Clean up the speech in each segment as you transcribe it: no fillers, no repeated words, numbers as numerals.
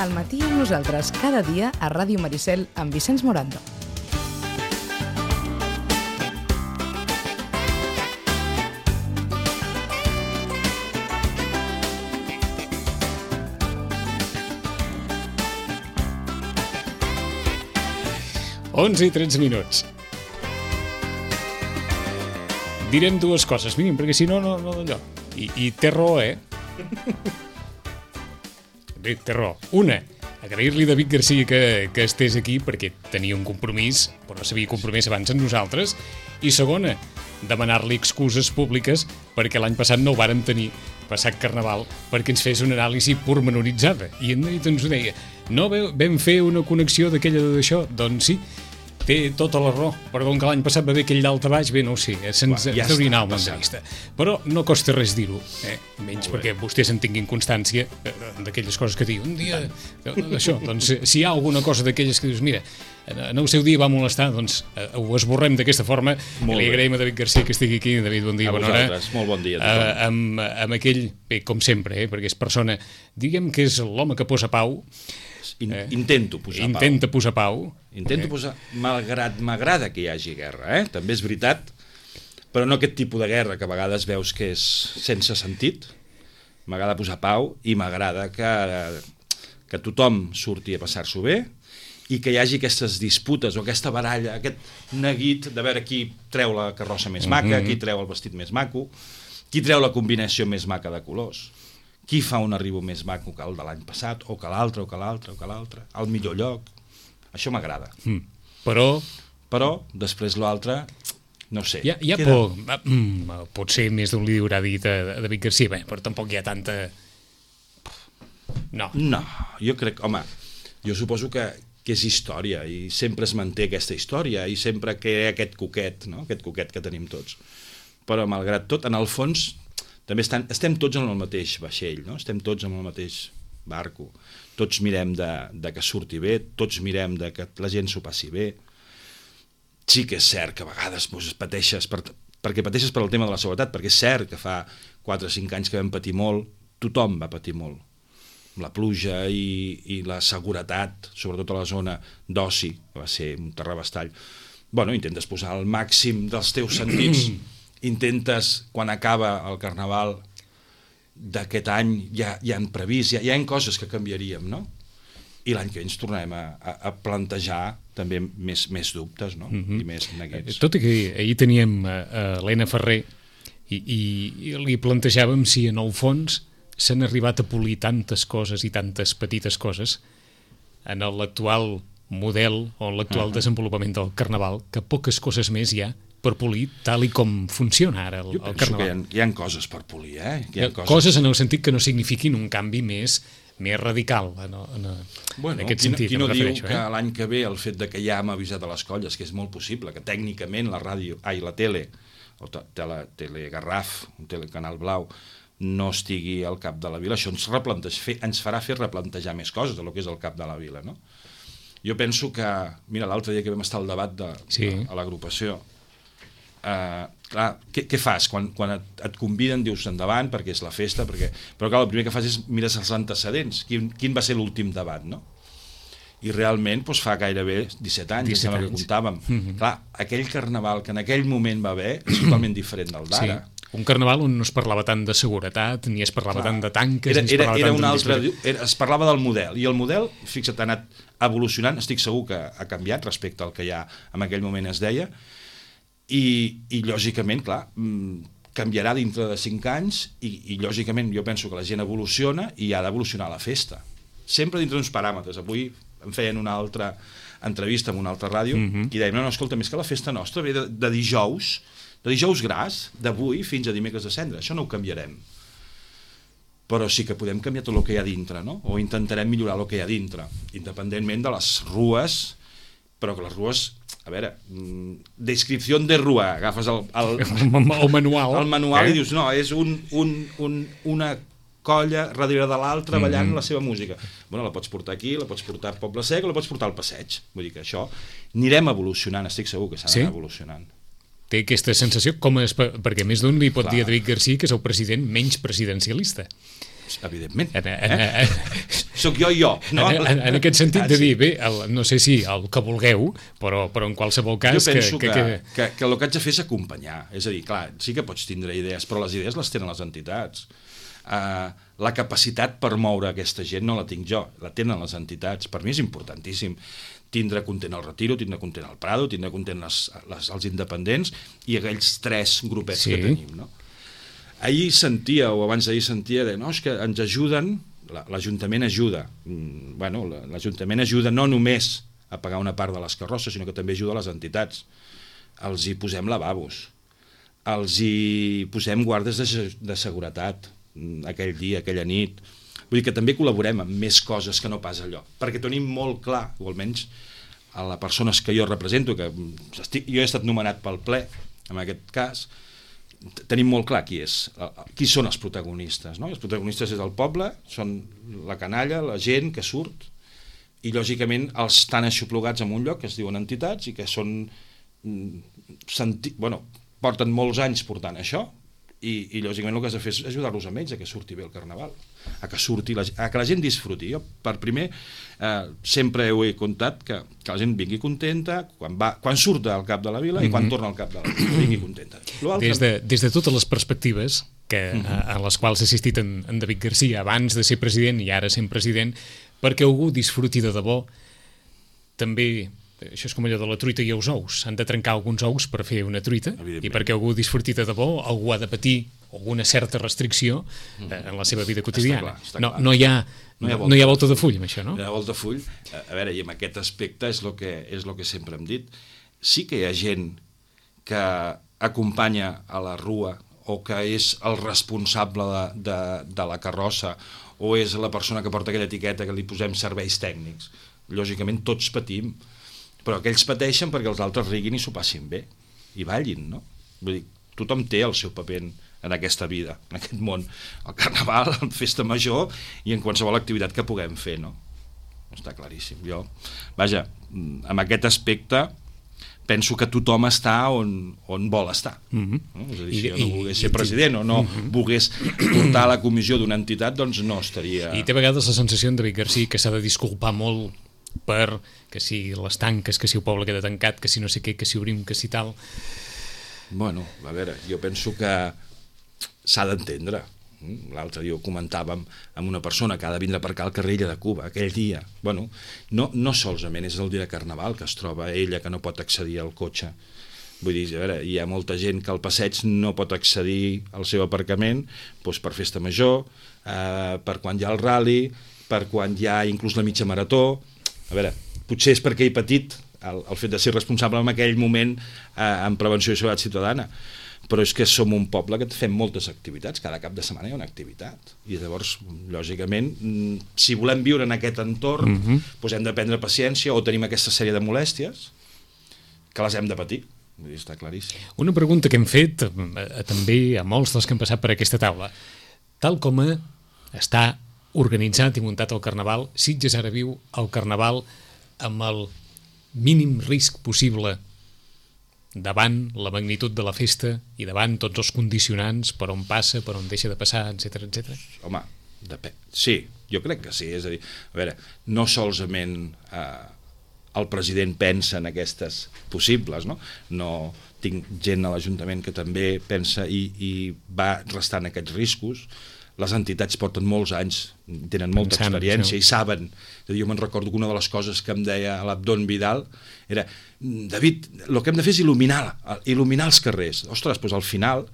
Al matí amb nosaltres, cada dia a Ràdio Maricel amb Vicenç Morando. Onze i 13 minuts. Direm dues coses, mínim, perquè si no allò. I té raó, Bé, té raó. Una, agrair-li a David Garcia que estés aquí perquè tenia un compromís, però no s'havia compromès abans amb nosaltres. I segona, demanar-li excuses públiques perquè l'any passat no ho vàrem tenir, passat Carnaval, perquè ens fes una anàlisi pormenoritzada. I ens ho deia, no vam fer una connexió d'aquella d'això? Doncs sí, té tota la raó. Perdó, que l'any passat va haver aquell dalt a baix, bé, no ho sé, se'ns hauria anat el de vista. Però no costa res dir-ho, menys perquè vostès en tinguin constància d'aquelles coses que diu un dia d'això. Doncs si hi ha alguna cosa d'aquelles que dius, mira, en el seu dia va molestar, doncs ho esborrem d'aquesta forma. Li agraïm a David Garcia que estigui aquí. David, bon dia, bona hora. A vosaltres, molt bon dia a tothom. Amb aquell, bé, com sempre, perquè és persona, diguem que és l'home que posa pau. Intento posar pau. Intento posar, malgrat m'agrada que hi hagi guerra, també és veritat, però no aquest tipus de guerra que a vegades veus que és sense sentit. M'agrada posar pau i m'agrada que tothom surti a passar-s'ho bé i que hi hagi aquestes disputes o aquesta baralla, aquest neguit de veure qui treu la carrossa més maca, qui treu el vestit més maco, qui treu la combinació més maca de colors, qui fa un arribo més maco que el de l'any passat, o que l'altre, al millor lloc. Això m'agrada. Però, després l'altre, no sé. Hi ha por. Potser més d'un li haurà dit a David Garcia, però tampoc hi ha tanta... No, jo crec... Home, jo suposo que és història, i sempre es manté aquesta història, i sempre que hi ha aquest coquet, no? Aquest coquet que tenim tots. Però, malgrat tot, en el fons... també estem tots en el mateix vaixell, no? Estem tots en el mateix barco. Tots mirem de que surti bé, tots mirem de que la gent s'ho passi bé. Sí que és cert que a vegades pateixes, perquè pateixes per al tema de la seguretat, perquè és cert que fa 4 o 5 anys que vam patir molt, tothom va patir molt. La pluja i la seguretat, sobretot a la zona d'oci, va ser un terrabastall. Bueno, intentes posar el màxim dels teus sentits. Intentes, quan acaba el Carnaval d'aquest any, ja han previst, ja hi ha coses que canviaríem, no? I l'any que ve ens tornarem a plantejar també més dubtes, no? I més neguits. Tot i que ahir teníem l'Helena Ferrer i li plantejàvem si en el fons s'han arribat a polir tantes coses i tantes petites coses en l'actual model o en l'actual desenvolupament del Carnaval, que poques coses més hi ha per polir tal i com funciona ara el Carnaval. Jo penso que hi ha coses per polir, coses en el sentit que no signifiquin un canvi més radical en aquest sentit. Qui no diu que l'any que ve el fet que ja hem avisat a les colles, que és molt possible, que tècnicament la tele, o Telegarraf, un telecanal blau, no estigui al cap de la vila, això ens farà fer replantejar més coses del que és el cap de la vila, no? Jo penso que, mira, l'altre dia que vam estar al debat a l'agrupació, clar, què fas? Quan et conviden dius endavant perquè és la festa, però clar, el primer que fas és mires els antecedents, quin va ser l'últim debat, no? I realment fa gairebé 17 anys, que comptàvem. Clar, aquell Carnaval que en aquell moment va haver és totalment diferent del d'ara. Un Carnaval on no es parlava tant de seguretat, ni es parlava tant de tanques, es parlava del model, i el model, fixa't, ha anat evolucionant, estic segur que ha canviat respecte al que ja en aquell moment es deia, i lògicament, clar, canviarà dintre de 5 anys i lògicament jo penso que la gent evoluciona i ha d'evolucionar la festa. Sempre dintre d'uns paràmetres. Avui em feien una altra entrevista en una altra ràdio i deien, no, escolta, més que la festa nostra ve de dijous gras, d'avui fins a dimecres de cendra. Això no ho canviarem. Però sí que podem canviar tot el que hi ha dintre, no? O intentarem millorar el que hi ha dintre, independentment de les rues, però que les rues... A veure, descripció de rua, agafes el manual i dius, no, és una colla darrere de l'altra ballant la seva música. Bueno, la pots portar aquí, la pots portar al Poble Sec o la pots portar al passeig. Vull dir que això anirem evolucionant, estic segur que s'ha d'anar evolucionant. Té aquesta sensació, perquè més d'un li pot dir a David Garcia que és el president menys presidencialista. Evidentment. Soc jo i jo. No? En aquest sentit de dir, bé, no sé si el que vulgueu, però en qualsevol cas... Jo penso que el que haig de fer és acompanyar. És a dir, clar, sí que pots tindre idees, però les idees les tenen les entitats. La capacitat per moure aquesta gent no la tinc jo, la tenen les entitats. Per mi és importantíssim tindre content el Retiro, tindre content el Prado, tindre content els independents i aquells 3 grupets que tenim, no? Ahir sentia, o abans d'ahir sentia, no, és que ens ajuden, l'Ajuntament ajuda. Bueno, l'Ajuntament ajuda no només a pagar una part de les carrosses, sinó que també ajuda a les entitats. Els hi posem lavabos, els hi posem guardes de seguretat aquell dia, aquella nit. Vull dir que també col·laborem amb més coses que no pas allò, perquè tenim molt clar, o almenys a les persones que jo represento, que jo he estat nomenat pel ple, en aquest cas, tenim molt clar qui són els protagonistes, no? Els protagonistes és el poble, són la canalla, la gent que surt, i lògicament els estan aixoplugats en un lloc que es diuen entitats i que són porten molts anys portant això, i lògicament el que has de fer és ajudar-los a ells a que surti bé el Carnaval, a que la gent disfruti. Jo per primer sempre ho he contat que la gent vingui contenta quan surt del cap de la vila i quan torna al cap de la vila, vingui contenta. Des de totes les perspectives a les quals ha assistit en David Garcia abans de ser president i ara sent president, perquè algú disfruti de debò, també... Això és com allò de la truita i els ous. Han de trencar alguns ous per fer una truita, i perquè algú disfruti de debò, algú ha de patir alguna certa restricció en la seva vida quotidiana. Està clar. No hi ha volta de full amb això, no? No hi ha volta de full. A veure, i en aquest aspecte és el que sempre hem dit. Sí que hi ha gent que acompanya a la rua o que és el responsable de la carrossa o és la persona que porta aquella etiqueta que li posem serveis tècnics. Lògicament tots patim, però aquells pateixen perquè els altres riguin i s'ho passin bé i ballin, no? Vull dir, tothom té el seu paper en aquesta vida, en aquest món, el Carnaval, la festa major i en qualsevol activitat que puguem fer, no? Està claríssim. Vaja, amb aquest aspecte penso que tothom està on vol estar. No? És a dir, si jo no volgués ser president o no volgués portar a la comissió d'una entitat, doncs no estaria... I té a vegades la sensació en David Garcia que s'ha de disculpar molt per que si les tanques, que si el poble queda tancat, que si no sé què, que si obrim, que si tal... Bueno, a veure, jo penso que s'ha d'entendre. L'altre dia ho comentàvem amb una persona que ha de vindre per acá al carrer Illa de Cuba, aquell dia. Bueno, no solament és el dia de Carnaval que es troba ella, que no pot accedir al cotxe. Vull dir, a veure, hi ha molta gent que al passeig no pot accedir al seu aparcament doncs per festa major, per quan hi ha el rally, per quan hi ha inclús la mitja marató. A veure, potser és perquè he patit el fet de ser responsable en aquell moment en prevenció i seguretat ciutadana, però és que som un poble que fem moltes activitats, cada cap de setmana hi ha una activitat, i llavors, lògicament, si volem viure en aquest entorn, doncs hem de prendre paciència o tenim aquesta sèrie de molèsties que les hem de patir. Vull dir, està claríssim. Una pregunta que hem fet també a molts dels que han passat per aquesta taula. Tal com està organitzat i muntat el Carnaval, Sitges ara viu el Carnaval amb el mínim risc possible davant la magnitud de la festa i davant tots els condicionants per on passa, per on deixa de passar, etc etc. Home, sí, jo crec que sí. És a dir, a veure, no solament el president pensa en aquestes possibles, no tinc gent a l'Ajuntament que també pensa i va restant aquests riscos. Les entitats porten molts anys, tenen molta experiència i saben. Jo me'n recordo que una de les coses que em deia l'Abdon Vidal era: David, el que hem de fer és il·luminar els carrers. Ostres, doncs al final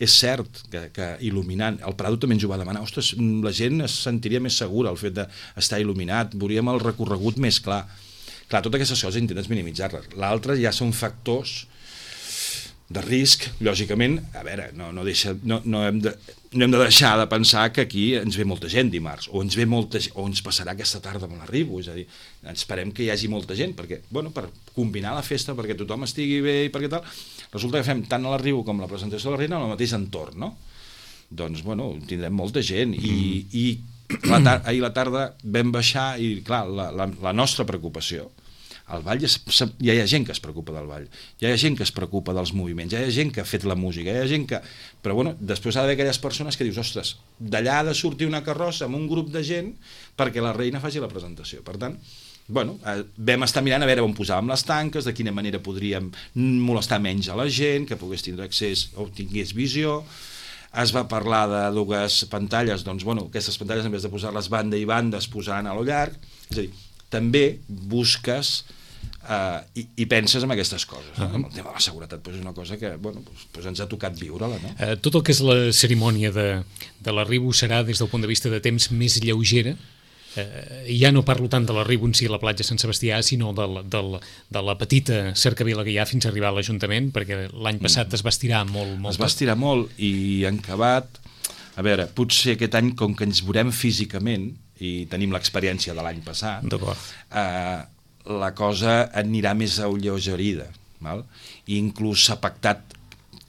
és cert que il·luminant, el Prado també ens ho va demanar, ostres, la gent es sentiria més segura al fet d'estar il·luminat, veuríem el recorregut més clar. Clar, totes aquestes coses intentes minimitzar-les. L'altre ja són factors de risc, lògicament. A veure, no hem de deixar de pensar que aquí ens ve molta gent dimarts, o ens passarà aquesta tarda amb l'arribo, és a dir, esperem que hi hagi molta gent, perquè, bueno, per combinar la festa, perquè tothom estigui bé i perquè tal, resulta que fem tant a l'arribo com la presentació de la reina en el mateix entorn, no? Doncs, bueno, tindrem molta gent, i ahir a la tarda vam baixar, i clar, la nostra preocupació, El ball ja hi ha gent que es preocupa del ball, ja hi ha gent que es preocupa dels moviments, ja hi ha gent que ha fet la música, ja hi ha gent que... Però bueno, després ha d'haver aquelles persones que dius, ostres, d'allà ha de sortir una carrossa amb un grup de gent perquè la reina faci la presentació. Per tant, bueno, vam estar mirant a veure on posàvem les tanques, de quina manera podríem molestar menys a la gent, que pogués tindre accés o tingués visió. Es va parlar de dues pantalles, doncs bueno, aquestes pantalles en vez de posar-les banda i banda es posaran a lo llarg, és a dir, també busques i penses en aquestes coses. El tema de la seguretat és una cosa que bueno, ens ha tocat viure-la. No? Tot el que és la cerimònia de l'arribo serà des del punt de vista de temps més lleugera. Ja no parlo tant de l'arribo en si a la platja Sant Sebastià, sinó de la petita cercavila que hi ha fins a arribar a l'Ajuntament, perquè l'any passat es va estirar molt. Es va estirar molt i en acabat, a veure, potser aquest any, com que ens veurem físicament i tenim l'experiència de l'any passat, la cosa anirà més alleugerida, val? I inclús s'ha pactat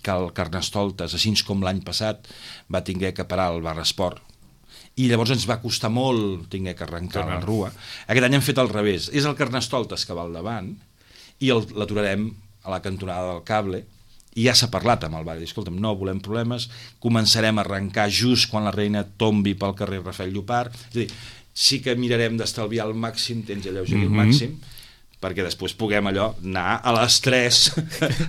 que el Carnestoltes, així com l'any passat, va tinguer que parar el bar esport, i llavors ens va costar molt tinguer que arrencar la rua. Aquest any hem fet al revés, és el Carnestoltes que va al davant i l'aturarem a la cantonada del Cable, i ja s'ha parlat amb el bar, escolta'm, no volem problemes, començarem a arrencar just quan la reina tombi pel carrer Rafael Llopart, és a dir, sí que mirarem d'estalviar al màxim, tens alleugerir al màxim, perquè després puguem allò anar a les 3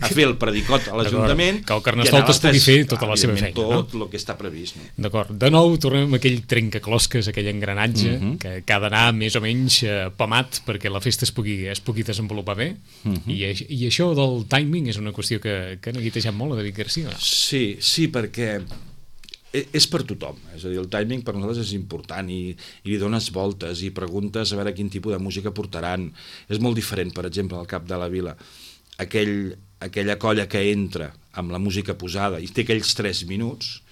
a fer el predicot a l'Ajuntament, que el Carnestoltes pugui fer tota la seva feina, tot el que està previst. No? D'acord, de nou tornem a aquell trencaclosques, aquell engranatge que ha d'anar més o menys pamat perquè la festa es pugui desenvolupar bé, i això del timing és una qüestió que ha neguitejat molt a David Garcia. Sí, perquè és per tothom, és a dir, el timing per nosaltres és important i li dones voltes i preguntes a veure quin tipus de música portaran. És molt diferent, per exemple, al Cap de la Vila, aquella colla que entra amb la música posada i té aquells 3 minuts,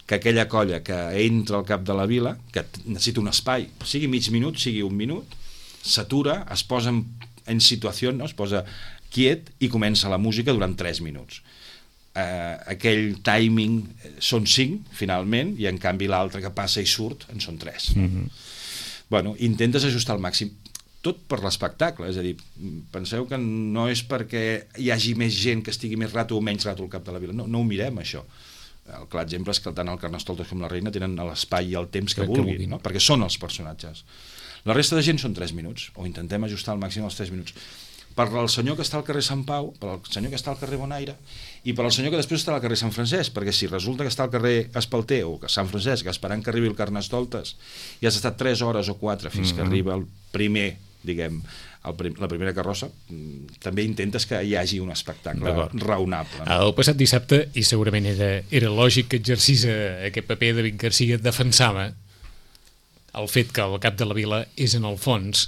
que aquella colla que entra al Cap de la Vila, que necessita un espai, sigui mig minut, sigui un minut, s'atura, es posa en situació, no? Es posa quiet i comença la música durant 3 minuts. Aquell timing són 5 finalment i en canvi l'altre que passa i surt en són 3. Bueno, intentes ajustar al màxim tot per l'espectacle, és a dir, penseu que no és perquè hi hagi més gent que estigui més rato o menys rato al Cap de la Vila, no ho mirem això. El clar exemple és que tant el Carnestoltes com la reina tenen l'espai i el temps que vulguin, no? Perquè són els personatges. La resta de gent són 3 minuts, o intentem ajustar al màxim els 3 minuts. Per al senyor que està al carrer Sant Pau, per al senyor que està al carrer Bonaire i per al senyor que després està al carrer Sant Francesc, perquè si resulta que està al carrer Espalter o Sant Francesc esperant que arribi el Carnestoltes i has estat 3 hores o 4 fins que arriba el primer, diguem, la primera carrossa, també intentes que hi hagi un espectacle raonable. No? El passat dissabte, i segurament era lògic que exercís aquest paper, David Garcia defensava el fet que el Cap de la Vila és en el fons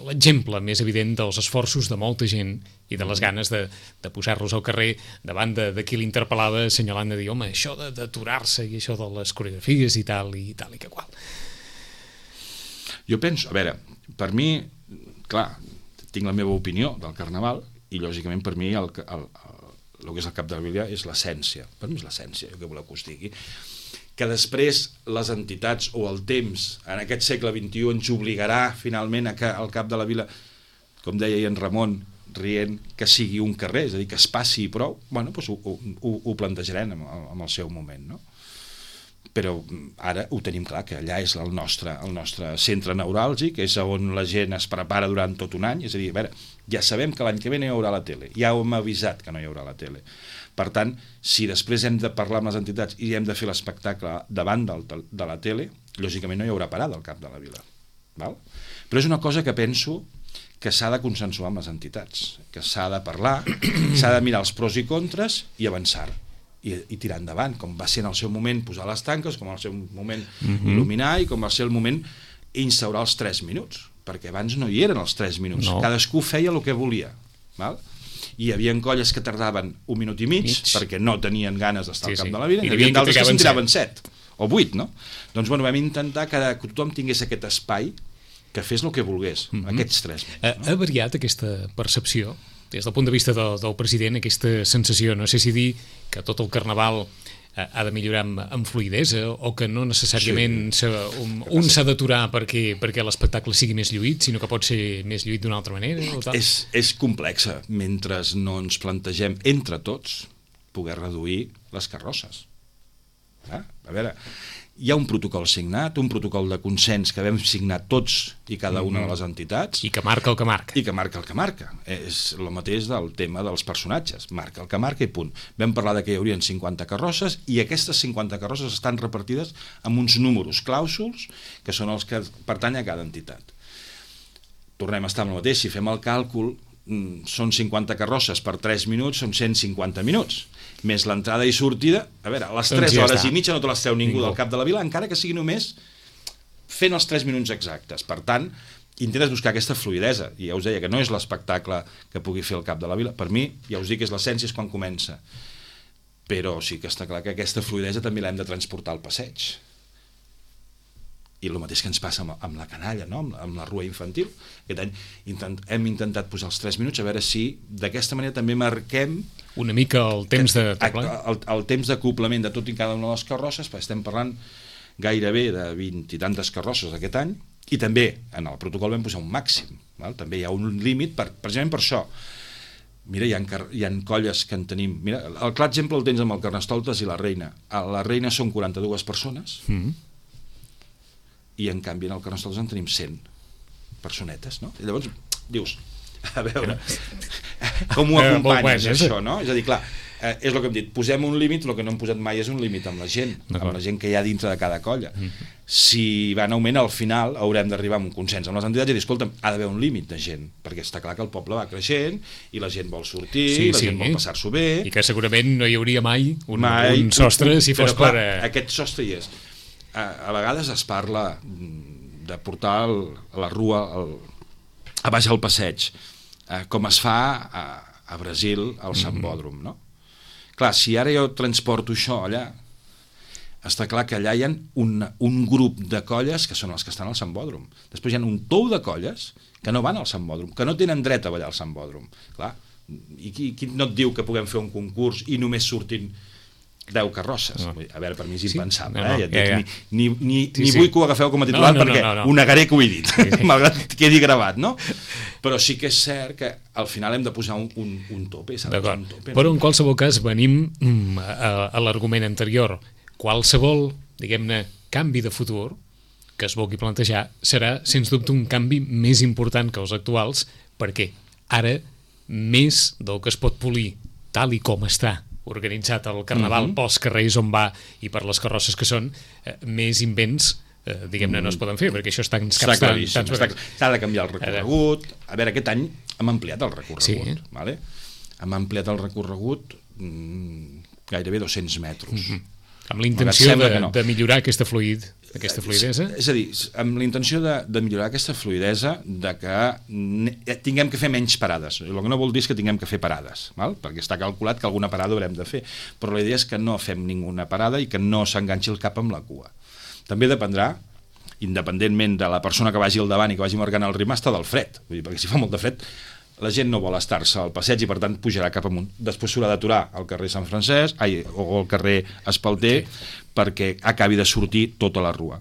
l'exemple més evident dels esforços de molta gent i de les ganes de posar-los al carrer davant de qui l'interpel·lava assenyalant de dir, home, això d'aturar-se i això de les coreografies i tal i que qual. Jo penso, a veure, per mi, clar, tinc la meva opinió del Carnaval i lògicament per mi el que és el Cap de la Vila és l'essència, per mi és l'essència, el que voleu que us digui, que després les entitats o el temps en aquest segle XXI ens obligarà finalment a que el Cap de la Vila, com deia en Ramon rient, que sigui un carrer, és a dir, que es passi i prou, bueno, doncs ho plantejarem en el seu moment, no? Però ara ho tenim clar, que allà és el nostre centre neuràlgic, és on la gent es prepara durant tot un any, és a dir, a veure, ja sabem que l'any que ve no hi haurà la tele, ja hem avisat que no hi haurà la tele. Per tant, si després hem de parlar amb les entitats i hem de fer l'espectacle davant de la tele, lògicament no hi haurà parada al Cap de la Vila. Val? Però és una cosa que penso que s'ha de consensuar amb les entitats, que s'ha de parlar, s'ha de mirar els pros i contres i avançar i tirar endavant, com va ser en el seu moment posar les tanques, com en el seu moment il·luminar i com va ser el moment instaurar els 3 minuts, perquè abans no hi eren els 3 minuts, cadascú feia el que volia, val? I hi havia colles que tardaven 1 minut i mig perquè no tenien ganes d'estar al Cap de la Vila, i hi havia d'altres que se'n tiraven 7 o 8, no? Doncs bueno, vam intentar que tothom tingués aquest espai que fes el que volgués, aquests 3 minuts. Ha variat aquesta percepció des del punt de vista del president, aquesta sensació, no sé si dir que tot el Carnaval ha de millorar amb fluidesa o que no necessàriament un s'ha d'aturar perquè l'espectacle sigui més lluït, sinó que pot ser més lluït d'una altra manera? O tal? És complexa, mentre no ens plantegem entre tots poder reduir les carrosses. A veure, hi ha un protocol signat, un protocol de consens que vam signar tots i cada una de les entitats. I que marca el que marca. I que marca el que marca. És el mateix del tema dels personatges. Marca el que marca i punt. Vam parlar que hi haurien 50 carrosses i aquestes 50 carrosses estan repartides amb uns números clàusuls que són els que pertanyen a cada entitat. Tornem a estar amb el mateix. Si fem el càlcul, són 50 carrosses per 3 minuts, són 150 minuts. Més l'entrada i sortida, a veure, a les 3 hores i mitja no te les treu ningú del cap de la vila, encara que sigui només fent els 3 minuts exactes. Per tant, intentes buscar aquesta fluidesa, i ja us deia que no és l'espectacle que pugui fer el cap de la vila. Per mi, ja us dic que és l'essència, és quan comença. Però sí que està clar que aquesta fluidesa també l'hem de transportar al passeig. I el mateix que ens passa amb la canalla, no? Amb la rua infantil. Aquest any hem intentat posar els 3 minuts, a veure si d'aquesta manera també marquem una mica el temps de... El temps d'acoplament de tot i cada una de les carrosses, perquè estem parlant gairebé de 20 i tantes carrosses aquest any, i també en el protocol vam posar un màxim, val? També hi ha un límit, precisament per això. Mira, hi ha colles que en tenim... Mira, el clar exemple el tens amb el Carnestoltes i la Reina. A la Reina són 42 persones, i en canvi en el Carnestoltes en tenim 100 personetes, no? I llavors dius, a veure, com ho acompanyes això, no? És a dir, clar, és el que hem dit, posem un límit, el que no hem posat mai és un límit amb la gent que hi ha dintre de cada colla. Si va en augment, al final haurem d'arribar a un consens amb les entitats i dir, escolta'm, ha d'haver un límit de gent, perquè està clar que el poble va creixent i la gent vol sortir, la gent vol passar-s'ho bé. I que segurament no hi hauria mai un sostre si fos per... Aquest sostre hi és. A vegades es parla de portar a la rua a baix al passeig, com es fa a Brasil al Sambòdrom, no? Clar, si ara jo transporto això allà, està clar que allà hi ha un grup de colles que són els que estan al Sambòdrom. Després hi ha un tou de colles que no van al Sambòdrom, que no tenen dret a ballar al Sambòdrom. Clar, i qui no et diu que puguem fer un concurs i només surtin 10 carrosses? A veure, per mi és impensable. Ni vull que ho agafeu com a titular perquè ho negaré que ho he dit, malgrat que quedi gravat, no? Però sí que és cert que al final hem de posar un tope. Però en qualsevol cas venim a l'argument anterior. Qualsevol, diguem-ne, canvi de futur que es vulgui plantejar serà, sens dubte, un canvi més important que els actuals, perquè ara, més del que es pot polir tal i com està organitzat el carnaval pels carrers on va i per les carrosses que són, més invents diguem-ne no es poden fer, perquè això està en caps s'ha de canviar el recorregut. A veure, aquest any hem ampliat el recorregut, vale? Hem ampliat el recorregut gairebé 200 metres amb la intenció de millorar aquesta fluidesa? És a dir, amb la intenció de millorar aquesta fluidesa, de que tinguem que fer menys parades. El que no vol dir és que tinguem que fer parades, val? Perquè està calculat que alguna parada haurem de fer, però la idea és que no fem ninguna parada i que no s'enganxi el cap amb la cua. També dependrà, independentment de la persona que vagi al davant i que vagi marcant el ritme, està del fred. Vull dir, perquè si fa molt de fred, la gent no vol estar-se al passeig i per tant pujarà cap amunt. Després s'haurà d'aturar al carrer Sant Francesc o al carrer Espalter perquè acabi de sortir tota la rua.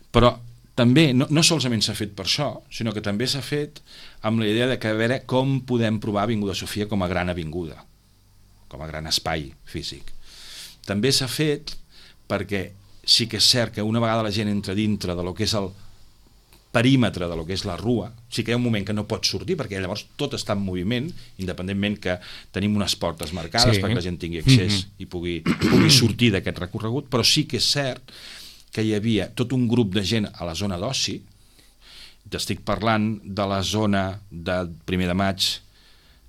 Però també no solament s'ha fet per això, sinó que també s'ha fet amb la idea de que a veure com podem provar Avinguda Sofia com a gran avinguda, com a gran espai físic. També s'ha fet perquè sí que és cert que una vegada la gent entra dintre de lo que és el perímetre de lo que és la rua, sí que hi ha un moment que no pot sortir, perquè llavors tot està en moviment, independentment que tenim unes portes marcades perquè la gent tingui accés i pugui sortir d'aquest recorregut, però sí que és cert que hi havia tot un grup de gent a la zona d'oci. T'estic parlant de la zona de 1 de maig,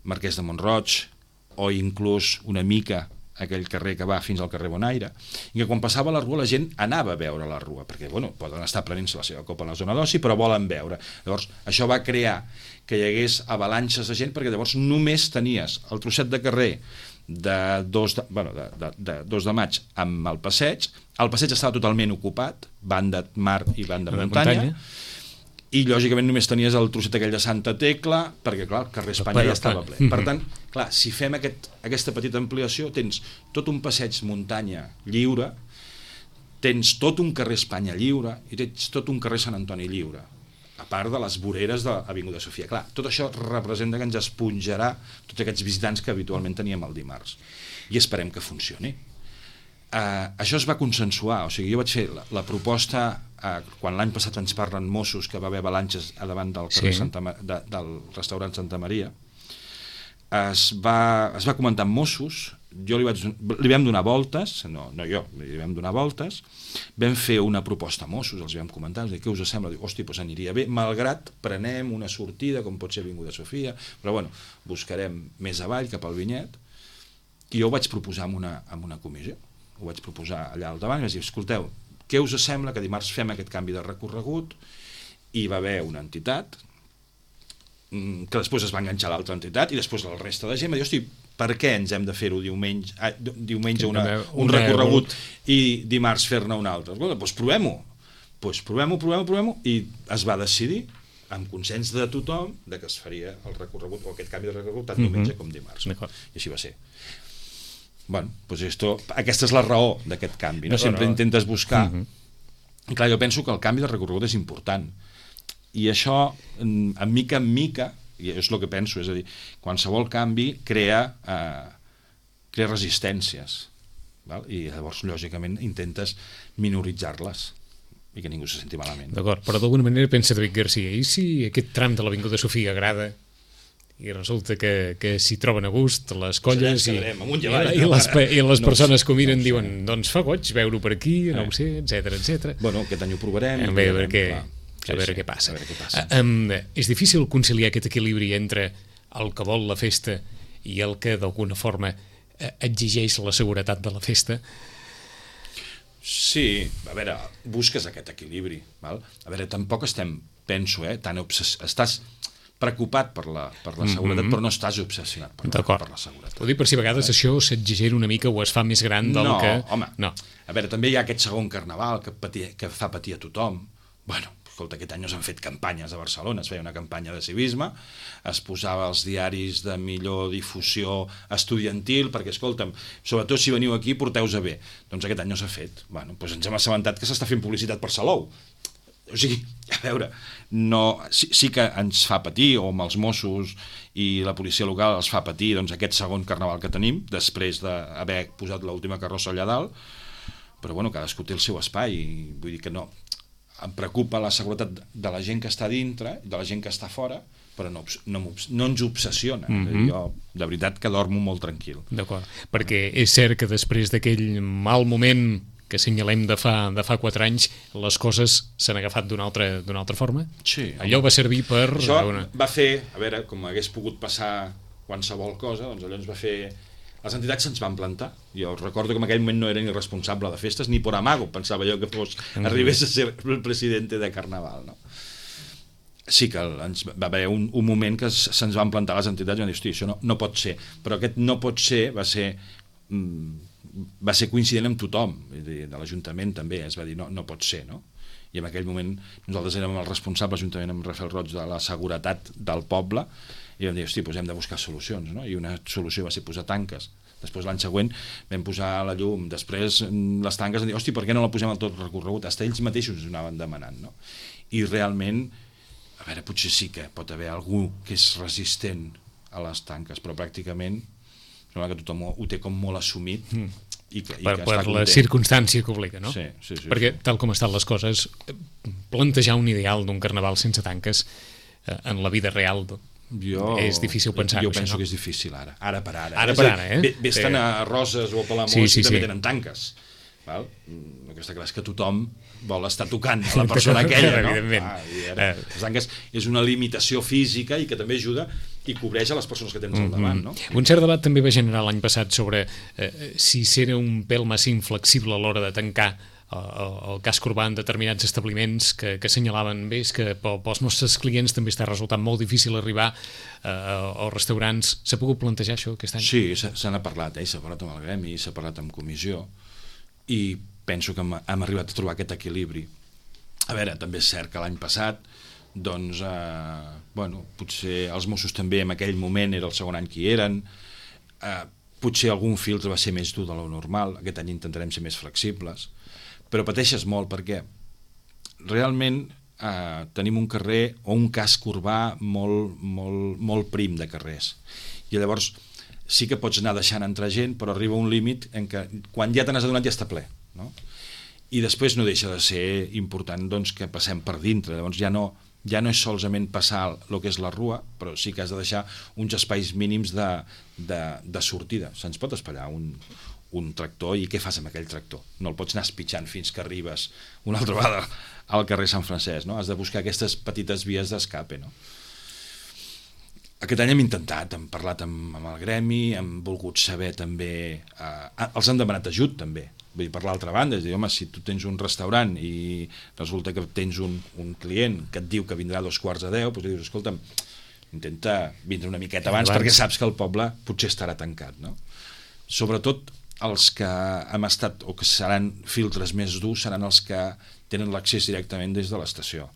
Marquès de Mont-roig, o inclús una mica aquell carrer que va fins al carrer Bonaire, i que quan passava la rua la gent anava a veure la rua, perquè poden estar prenent-se la seva copa a la zona d'oci, però volen veure. Llavors, això va crear que hi hagués avalanxes de gent, perquè llavors només tenies el trosset de carrer de 2 de maig amb el passeig estava totalment ocupat, banda mar i banda muntanya, i lògicament només tenies el trosset aquell de Santa Tecla, perquè clar, el carrer Espanya ja estava ple. Per tant, clar, si fem aquesta petita ampliació, tens tot un passeig muntanya lliure, tens tot un carrer Espanya lliure i tens tot un carrer Sant Antoni lliure, a part de les voreres de l'Avinguda Sofia. Clar, tot això representa que ens esponjarà tots aquests visitants que habitualment teníem el dimarts. I esperem que funcioni. Això es va consensuar, o sigui, jo vaig fer la proposta quan l'any passat ens parlen Mossos que va haver avalanxes a davant del carrer del restaurant Santa Maria. Es va comentar amb Mossos, li vam donar voltes, no jo, li vam donar voltes, vam fer una proposta a Mossos, els vam comentar, què us sembla? Diu, hosti, doncs aniria bé, malgrat prenem una sortida, com pot ser Avinguda Sofia, però bueno, buscarem més avall, cap al Vinyet, i jo ho vaig proposar en una comissió, ho vaig proposar allà al davant, i vaig dir, escolteu, què us sembla que dimarts fem aquest canvi de recorregut? I va haver una entitat que després es va enganxar a l'altra entitat i després la resta de gent va dir, hosti, per què ens hem de fer-ho diumenge un recorregut i dimarts fer-ne un altre? Doncs provem-ho. Provem-ho i es va decidir amb consens de tothom que es faria el recorregut o aquest canvi de recorregut tant diumenge com dimarts. I així va ser. Bueno, doncs aquesta és la raó d'aquest canvi, no? Sempre intentes buscar. I clar, jo penso que el canvi de recorregut és important i això, en mica, i és el que penso, és a dir, qualsevol canvi crea resistències, val? I llavors, lògicament, intentes minoritzar-les i que ningú se senti malament. D'acord, però d'alguna manera pensa David Garcia, i si aquest tram de l'Avinguda Sofia agrada i resulta que s'hi troben a gust les colles i les persones que ho miren diuen, doncs fa goig veure-ho per aquí, no ho sé, etc. Bueno, aquest any ho provarem. A veure què passa. És difícil conciliar aquest equilibri entre el que vol la festa i el que d'alguna forma exigeix la seguretat de la festa? Sí, a veure, busques aquest equilibri, val? A veure, tampoc penso, tan estàs preocupat per la seguretat, però no estàs obsessionat per la seguretat. Ho dic per si a vegades això s'exagera una mica o es fa més gran del que... No. A veure, també hi ha aquest segon carnaval que fa patir a tothom. Bueno, escolta, aquest any no s'han fet campanyes a Barcelona, es feia una campanya de civisme, es posava als diaris de millor difusió estudiantil, perquè, escolta'm, sobretot si veniu aquí, porteu-vos bé. Doncs aquest any no s'ha fet. Bueno, doncs ens hem assabentat que s'està fent publicitat per Salou. O sigui, a veure, sí que ens fa patir, o amb els Mossos i la policia local els fa patir aquest segon carnaval que tenim, després d'haver posat l'última carrossa allà dalt, però bueno, cadascú té el seu espai, i vull dir que no, em preocupa la seguretat de la gent que està dintre, de la gent que està fora, però no ens obsessiona. Jo, de veritat, que dormo molt tranquil. D'acord, perquè és cert que després d'aquell mal moment que assenyalem de fa 4 anys, les coses s'han agafat d'una altra forma? Sí. Allò va servir per... Això va fer, a veure, com hagués pogut passar qualsevol cosa, doncs allò ens va fer... Les entitats se'ns van plantar. Jo recordo que en aquell moment no era ni responsable de festes, ni por amago, pensava jo que arribés a ser el president de Carnaval, no? Sí que va haver un moment que se'ns van plantar les entitats i van dir, hosti, això no pot ser. Però aquest no pot ser va ser coincident amb tothom, de l'Ajuntament també, es va dir no pot ser, no? I en aquell moment nosaltres érem els responsables juntament amb Rafael Roig de la seguretat del poble i vam dir, hosti, doncs hem de buscar solucions, no? I una solució va ser posar tanques. Després l'any següent vam posar la llum, després les tanques van dir, hosti, per què no la posem al tot recorregut? Fins ells mateixos ho anaven demanant, no? I realment, a veure, potser sí que pot haver algú que és resistent a les tanques, però pràcticament sembla que tothom ho té com molt assumit i que per la circumstància que obliga, no? Sí. Perquè tal com estan les coses, plantejar un ideal d'un carnaval sense tanques en la vida real és difícil pensar-ho. Jo penso que és difícil ara per ara. Ara per ara, Vés-te'n a Roses o a Palamós i també tenen tanques. El que està clar és que tothom vol estar tocant a la persona aquella, no? Les tanques és una limitació física i que també ajuda i cobreix a les persones que tens al davant, no? Un cert debat també va generar l'any passat sobre si era un pèl massa inflexible a l'hora de tancar el casc urbà en determinats establiments que assenyalaven bé que pels nostres clients també està resultant molt difícil arribar als restaurants. S'ha pogut plantejar això aquest any? Sí, se n'ha parlat, s'ha parlat amb el gremi, s'ha parlat amb comissió i penso que hem arribat a trobar aquest equilibri. A veure, també és cert que l'any passat doncs, potser els Mossos també en aquell moment era el segon any que hi eren, potser algun filtre va ser més dur de lo normal, aquest any intentarem ser més flexibles, però pateixes molt perquè realment tenim un carrer o un casc urbà molt prim de carrers, i llavors sí que pots anar deixant entrar gent, però arriba un límit en què quan ja te n'has adonat ja està ple, no? I després no deixa de ser important doncs, que passem per dintre, llavors ja no és solament passar el que és la rua, però sí que has de deixar uns espais mínims de sortida. Se'ns pot espallar un tractor, i què fas amb aquell tractor? No el pots anar espitxant fins que arribes una altra vegada al carrer Sant Francesc, no? Has de buscar aquestes petites vies d'escape, no? Aquest any hem intentat, hem parlat amb el gremi, hem volgut saber també, els han demanat ajut també, vull dir, per l'altra banda, és dir, home, si tu tens un restaurant i resulta que tens un client que et diu que vindrà a 2:45, doncs dius, escolta'm, intenta vindre una miqueta abans perquè saps que el poble potser estarà tancat, no? Sobretot els que hem estat o que seran filtres més durs seran els que tenen l'accés directament des de l'estació,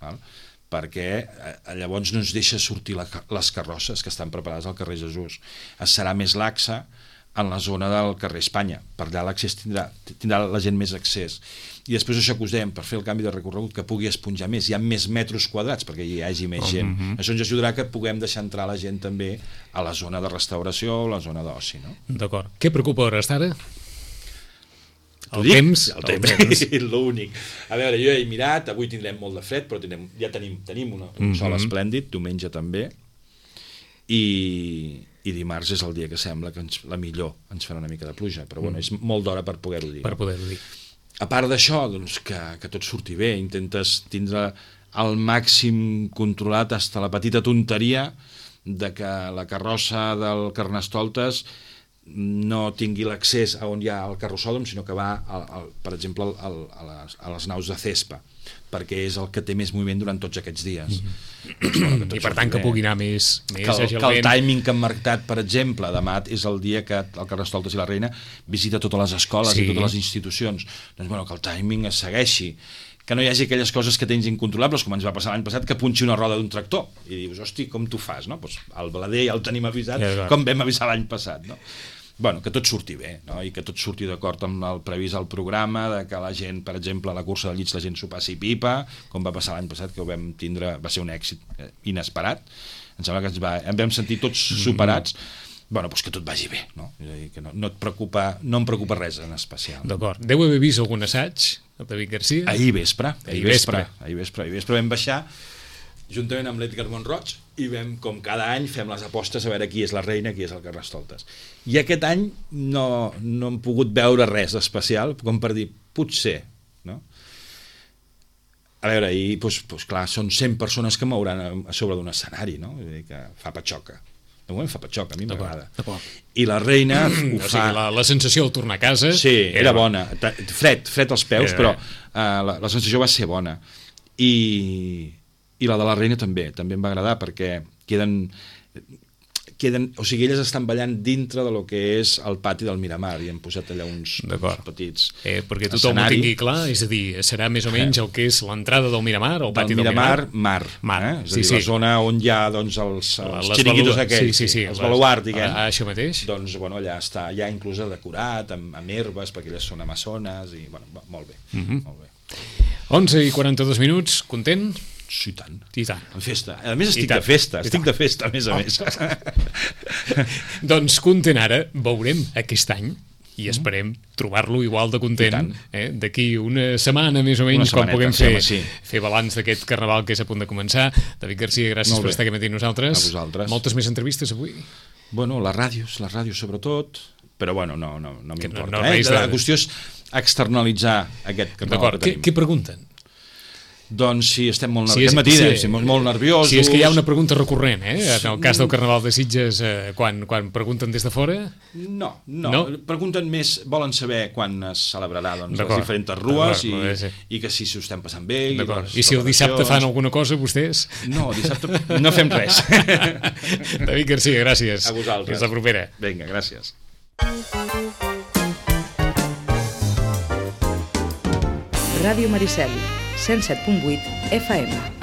val? Perquè llavors no ens deixa sortir les carrosses que estan preparades al carrer Jesús. Es serà més laxa en la zona del carrer Espanya, per allà l'accés tindrà la gent més accés, i després això que us dèiem, per fer el canvi de recorregut, que pugui esponjar més, hi ha més metres quadrats perquè hi hagi més gent, això ens ajudarà que puguem deixar entrar la gent també a la zona de restauració o la zona d'oci, no? D'acord. Què preocupa a hores d'ara? El temps, l'únic. A veure, jo he mirat, avui tindrem molt de fred, però ja tenim un sol esplèndid, diumenge també, i dimarts és el dia que sembla que la millor ens farà una mica de pluja, però bueno, és molt d'hora per poder-ho dir. Per poder-ho dir. A part d'això, doncs, que tot surti bé, intentes tindre al màxim controlat fins a la petita tonteria de que la carrossa del Carnestoltes no tingui l'accés a on hi ha el carrossòdrom, sinó que va, per exemple, a les naus de Cespa, perquè és el que té més moviment durant tots aquests dies. I per tant que pugui anar més agilment. Que el timing que hem marcat, per exemple, demà és el dia que el Carnestoltes i la Reina visita totes les escoles i totes les institucions. Doncs bueno, que el timing es segueixi, que no hi hagi aquelles coses que tens incontrolables, com ens va passar l'any passat, que punxi una roda d'un tractor i dius, hosti, com t'ho fas, no? Pues el blader ja el tenim avisat, com vam avisar l'any passat, no? Bueno, que tot surti bé, no? I que tot surti d'acord amb el previst al programa, de que la gent, per exemple, a la cursa de llits la gent s'ho passi pipa, com va passar l'any passat, que ho vam tindre, va ser un èxit inesperat, em sembla que em vam sentir tots superats. Bueno, doncs que tot vagi bé, no? És a dir, que no em preocupa res en especial. D'acord. Deu haver vist algun assaig, el David Garcia? Ahir vespre vam baixar juntament amb l'Edgar Montroig i com cada any fem les apostes a veure qui és la reina, qui és el Carnestoltes. I aquest any no hem pogut veure res especial, com per dir, potser, no? A veure, i doncs clar, són 100 persones que mouran a sobre d'un escenari, no? Vull dir que fa patxoca. De moment fa patxoca, a mi m'agrada. I la reina ho fa... La sensació al tornar a casa... Sí, era bona. Fred als peus, però la sensació va ser bona. I la de la reina també em va agradar, perquè queden, o sigui, elles estan ballant dintre de lo que és el pati del Miramar, i hem posat allà uns petits perquè tothom ho tingui clar, és a dir, serà més o menys el que és l'entrada del Miramar, el pati del Miramar? Mar. És a dir, la zona on hi ha doncs, els xiringuitos aquells, els baluards, diguem. Això mateix? Doncs bueno, allà està ja inclús decorat, amb herbes, perquè elles són amazones, i bueno, molt bé. 11:42, content? Sí, tant. En festa. A més, estic de festa, a més a més. Doncs content ara, veurem aquest any, i esperem trobar-lo igual de content d'aquí una setmana més o menys, quan puguem fer balanç d'aquest carnaval que és a punt de començar. David Garcia, gràcies per estar aquí amb nosaltres. A vosaltres. Moltes més entrevistes avui? Bueno, les ràdios sobretot, però bueno, no m'importa. La qüestió és externalitzar aquest carnaval que tenim. Què pregunten? Doncs si estem molt nerviosos... Si és que hi ha una pregunta recurrent, en el cas del Carnaval de Sitges, quan pregunten des de fora... No, pregunten més, volen saber quan es celebrarà les diferents rues i que si s'ho estem passant bé... I si el dissabte fan alguna cosa, vostès? No, dissabte no fem res. David Garcia, gràcies. A vosaltres. Fins la propera. Vinga, gràcies. Ràdio Maricel, 107.8 FM.